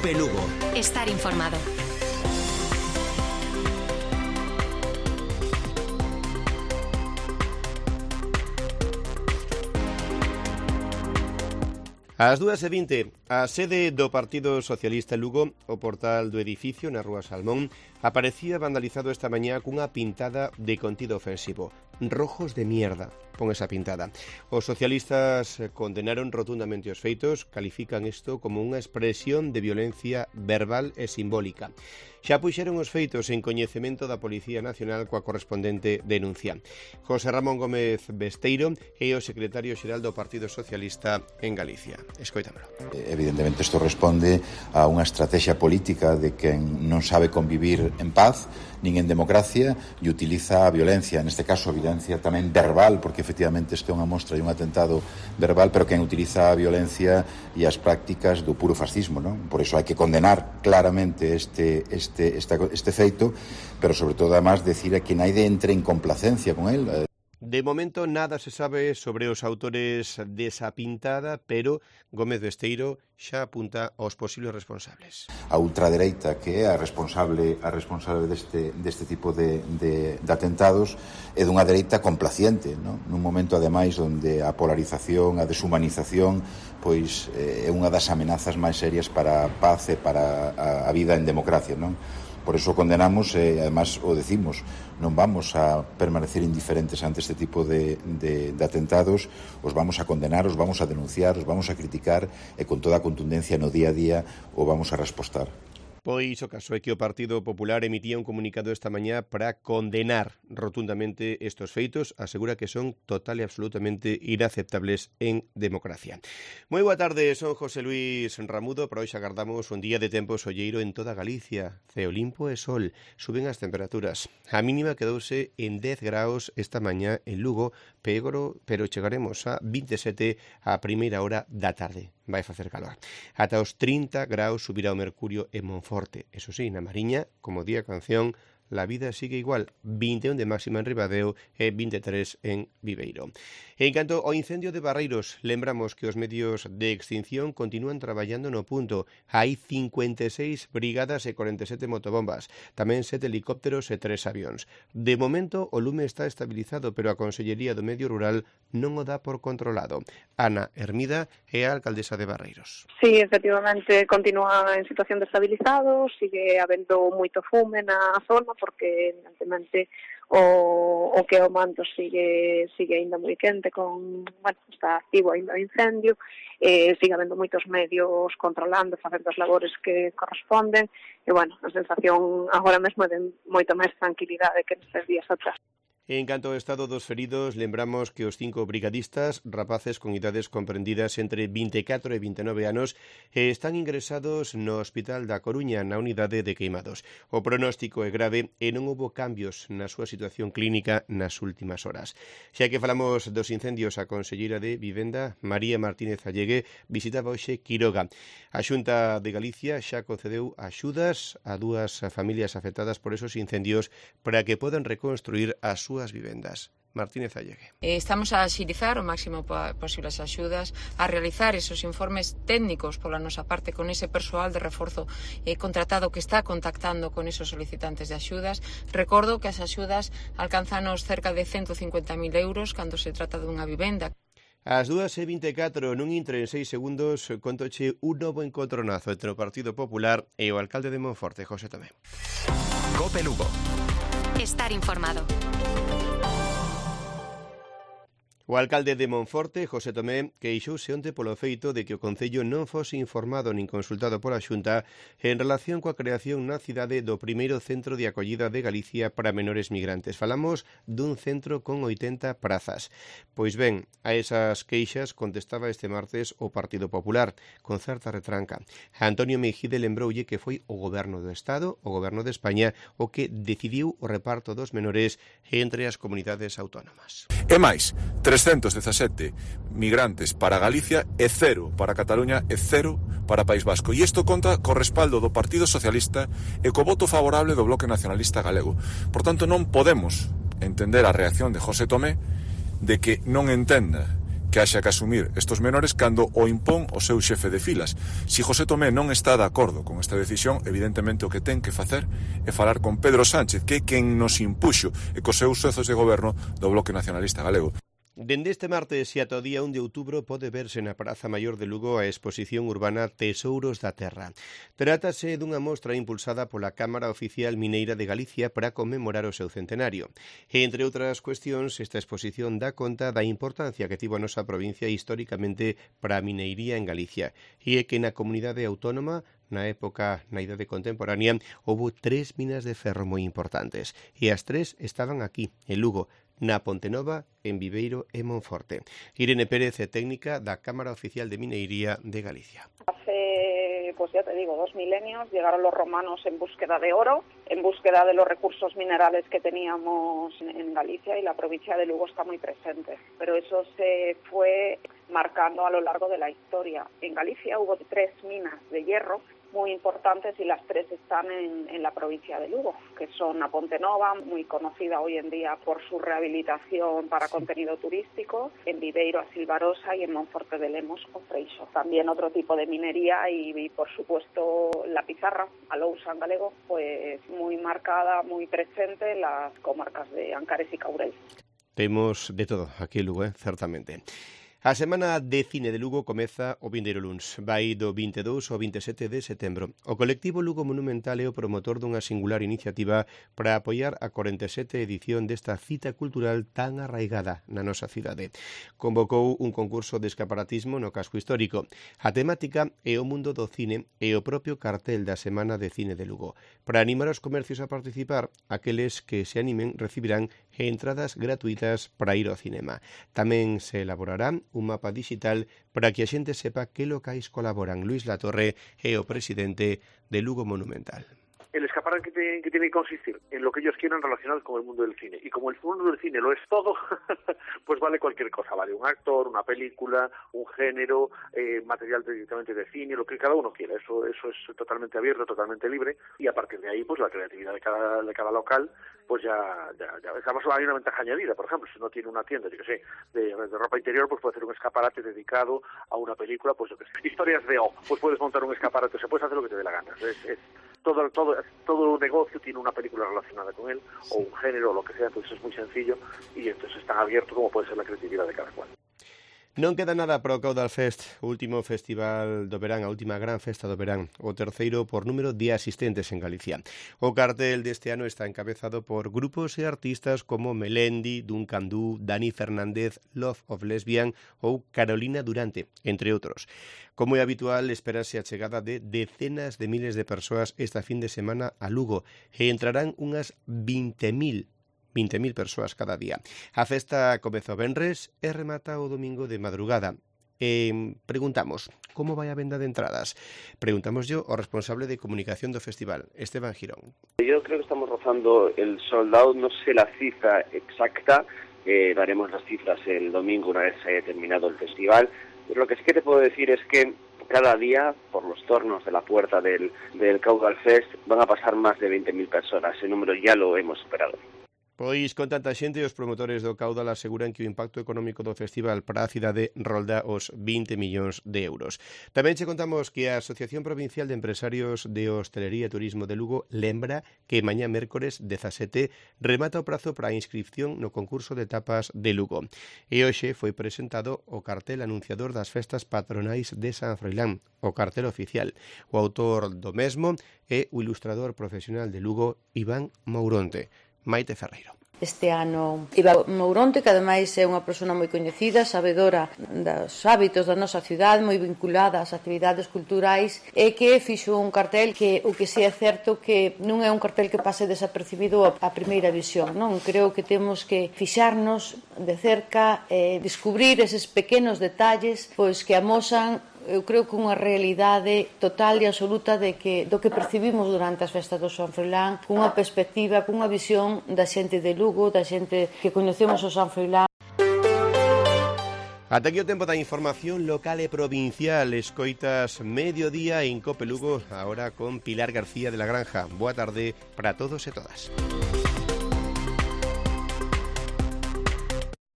COPE Lugo. Estar informado. Ás 2:20, a sede do Partido Socialista Lugo, o portal do edificio na Rúa Salmón, aparecía vandalizado esta mañá cunha pintada de contido ofensivo. Rojos de mierda, pon esa pintada. Os socialistas condenaron rotundamente os feitos, califican isto como unha expresión de violencia verbal e simbólica. Xa puxeron os feitos en coñecemento da Policía Nacional coa correspondente denuncia. José Ramón Gómez Besteiro é o secretario xeral do Partido Socialista en Galicia. Escoitámelo. Evidentemente isto responde a unha estrategia política de quen non sabe convivir en paz nin en democracia e utiliza a violencia, neste caso a violencia tamén verbal, porque efectivamente isto é unha mostra e un atentado verbal, pero quen utiliza a violencia e as prácticas do puro fascismo, non? Por iso hai que condenar claramente este feito, pero sobre todo además decir a quen hai de entre en complacencia con el. De momento nada se sabe sobre os autores desa pintada, pero Gómez Besteiro xa apunta aos posibles responsables. A ultradereita, que é a responsable deste tipo de atentados, é dunha dereita complaciente, non? Nun momento ademais onde a polarización, a deshumanización, pois é unha das amenazas máis serias para a paz e para a vida en democracia, non? Por eso condenamos e, además, o decimos, non vamos a permanecer indiferentes ante este tipo de atentados, os vamos a condenar, os vamos a denunciar, os vamos a criticar e con toda a contundencia no día a día o vamos a respostar. Pois o caso é que o Partido Popular emitía un comunicado esta mañá para condenar rotundamente estos feitos, asegura que son total e absolutamente inaceptables en democracia. Moi boa tarde, son José Luis Ramudo, para hoxe agardamos un día de tempo solleiro en toda Galicia, ceo limpo e sol, suben as temperaturas. A mínima quedouse en 10 graus esta mañá en Lugo, pero chegaremos a 27 a primeira hora da tarde. Vai facer calor. Ata os 30 graus subirá o mercurio en Monforte. Eso sí, na Mariña, como di a canción, la vida sigue igual, 21 de máxima en Ribadeo e 23 en Viveiro. En canto ao incendio de Barreiros, lembramos que os medios de extinción continúan traballando no punto. Hai 56 brigadas e 47 motobombas, tamén 7 helicópteros e 3 avións. De momento, o lume está estabilizado, pero a Consellería do Medio Rural non o dá por controlado. Ana Hermida é a alcaldesa de Barreiros. Sí, efectivamente, continúa en situación de estabilizado, sigue habendo moito fume na zona, porque evidentemente o que o manto sigue ainda moi quente, está activo ainda o incendio, sigue habendo moitos medios controlando, facendo as labores que corresponden, e a sensación agora mesmo é de moita máis tranquilidade que nestes días atrás. En canto ao estado dos feridos, lembramos que os 5 brigadistas, rapaces con idades comprendidas entre 24 e 29 anos, están ingresados no Hospital da Coruña, na unidade de queimados. O pronóstico é grave e non houbo cambios na súa situación clínica nas últimas horas. Xa que falamos dos incendios, a conselleira de Vivenda, María Martínez Allegue, visitaba hoxe Quiroga. A Xunta de Galicia xa concedeu axudas a 2 familias afectadas por esos incendios para que podan reconstruir as súas vivendas. Martínez Allegue. Estamos a axilizar o máximo posible as axudas, a realizar esos informes técnicos pola nosa parte con ese persoal de reforzo contratado que está contactando con esos solicitantes de axudas. Recordo que as axudas alcanzanos cerca de 150.000 euros cando se trata dunha vivenda. Ás 2:24, nun intre en 6 segundos, contoche un novo encontronazo entre o Partido Popular e o alcalde de Monforte, José Tomé. COPE Lugo. Estar informado. O alcalde de Monforte, José Tomé, queixouse onte polo feito de que o Concello non fose informado nin consultado pola Xunta en relación coa creación na cidade do primeiro centro de acollida de Galicia para menores migrantes. Falamos dun centro con 80 prazas. Pois ben, a esas queixas contestaba este martes o Partido Popular, con certa retranca. Antonio Mejide lembroulle que foi o Goberno do Estado, o Goberno de España, o que decidiu o reparto dos menores entre as comunidades autónomas. E máis, 317 migrantes para Galicia e 0 para Cataluña e 0 para País Vasco. E isto conta co respaldo do Partido Socialista e co voto favorable do Bloque Nacionalista Galego. Por tanto, non podemos entender a reacción de José Tomé de que non entenda que haxa que asumir estos menores cando o impón o seu xefe de filas. Si José Tomé non está de acordo con esta decisión, evidentemente o que ten que facer é falar con Pedro Sánchez, que é quen nos impuxo e cos seus socios de goberno do Bloque Nacionalista Galego. Dende este martes e ata o día 1 de outubro pode verse na Praza Maior de Lugo a exposición urbana Tesouros da Terra. Trátase dunha mostra impulsada pola Cámara Oficial Mineira de Galicia para conmemorar o seu centenario. E, entre outras cuestións, esta exposición dá conta da importancia que tivo a nosa provincia históricamente para a mineiría en Galicia e é que na comunidade autónoma na idade contemporánea, houve 3 minas de ferro moi importantes e as 3 estaban aquí, en Lugo, na Pontenova, en Viveiro e Monforte. Irene Pérez é técnica da Cámara Oficial de Mineiría de Galicia. Hace, pues ya te digo, 2 milenios llegaron los romanos en búsqueda de oro, en búsqueda de los recursos minerales que teníamos en Galicia, y la provincia de Lugo está muy presente. Pero eso se fue marcando a lo largo de la historia. En Galicia hubo 3 minas de hierro muy importantes y las 3 están en la provincia de Lugo, que son a Pontenova, muy conocida hoy en día por su rehabilitación para contenido turístico, en Viveiro a Silvarosa y en Monforte de Lemos o Freixo. También otro tipo de minería y por supuesto la pizarra, a lousa en galego, pues muy marcada, muy presente en las comarcas de Ancares y Caurel. Temos de todo aquí en Lugo, certamente. A Semana de Cine de Lugo comeza o vindeiro luns. Vai do 22 ao 27 de setembro. O colectivo Lugo Monumental é o promotor dunha singular iniciativa para apoiar a 47 edición desta cita cultural tan arraigada na nosa cidade. Convocou un concurso de escaparatismo no casco histórico. A temática é o mundo do cine e o propio cartel da Semana de Cine de Lugo. Para animar os comercios a participar, aqueles que se animen recibirán entradas gratuitas para ir ao cinema. Tamén se elaborarán un mapa digital para que a xente sepa que locais colaboran. Luis Latorre é o presidente de Lugo Monumental. El escaparate que tiene que consistir en lo que ellos quieran relacionado con el mundo del cine. Y como el mundo del cine lo es todo, pues vale cualquier cosa. Vale un actor, una película, un género, material directamente de cine, lo que cada uno quiera. Eso es totalmente abierto, totalmente libre. Y a partir de ahí, pues la creatividad de cada local, pues ya. Además hay una ventaja añadida. Por ejemplo, si uno tiene una tienda, yo que sé, de ropa interior, pues puede hacer un escaparate dedicado a una película, pues yo que sé. Historias de O, pues puedes montar un escaparate, se puedes hacer lo que te dé la gana. Todo negocio tiene una película relacionada con él, o un género, o lo que sea, entonces es muy sencillo, y entonces están abiertos como puede ser la creatividad de cada cual. Non queda nada para o Caudal Fest, o último festival do verán, a última gran festa do verán, o terceiro por número de asistentes en Galicia. O cartel deste ano está encabezado por grupos e artistas como Melendi, Duncan Du, Dani Fernández, Love of Lesbian ou Carolina Durante, entre outros. Como é habitual, espérase a chegada de decenas de miles de persoas esta fin de semana a Lugo e entrarán unhas 20.000 persoas cada día. A festa comeza o venres e remata o domingo de madrugada. Preguntamos, como vai a venda de entradas? Preguntamos yo ao responsable de comunicación do festival, Esteban Girón. Yo creo que estamos rozando el sold out, no sé la cifra exacta, daremos las cifras el domingo una vez se haya terminado el festival, pero lo que sí que te puedo decir es que cada día, por los tornos de la puerta del Caudal Fest, van a pasar más de 20.000 personas. Ese número ya lo hemos superado. Pois con tanta xente, os promotores do Caudal aseguran que o impacto económico do festival para a cidade rolda os 20 millóns de euros. Tamén che contamos que a Asociación Provincial de Empresarios de Hostelería e Turismo de Lugo lembra que mañá mércores 17 remata o prazo para a inscripción no concurso de tapas de Lugo. E hoxe foi presentado o cartel anunciador das festas patronais de San Froilán, o cartel oficial. O autor do mesmo é o ilustrador profesional de Lugo, Iván Mouronte. Maite Ferreiro. Este ano Iván Mouronte, que ademais é unha persona moi coñecida, sabedora dos hábitos da nosa cidade, moi vinculada ás actividades culturais, e que fixo un cartel que o que si é certo que non é un cartel que pase desapercibido a primeira visión, non? Creo que temos que fixarnos de cerca e descubrir eses pequenos detalles pois que amosan, eu creo que unha realidade total e absoluta do que percibimos durante as festas do San Froilán, cunha perspectiva, cunha visión da xente de Lugo, da xente que coñecemos o San Froilán. Ata aquí o tempo da información local e provincial. Escoitas Mediodía en Cope Lugo, agora con Pilar García de la Granja. Boa tarde para todos e todas.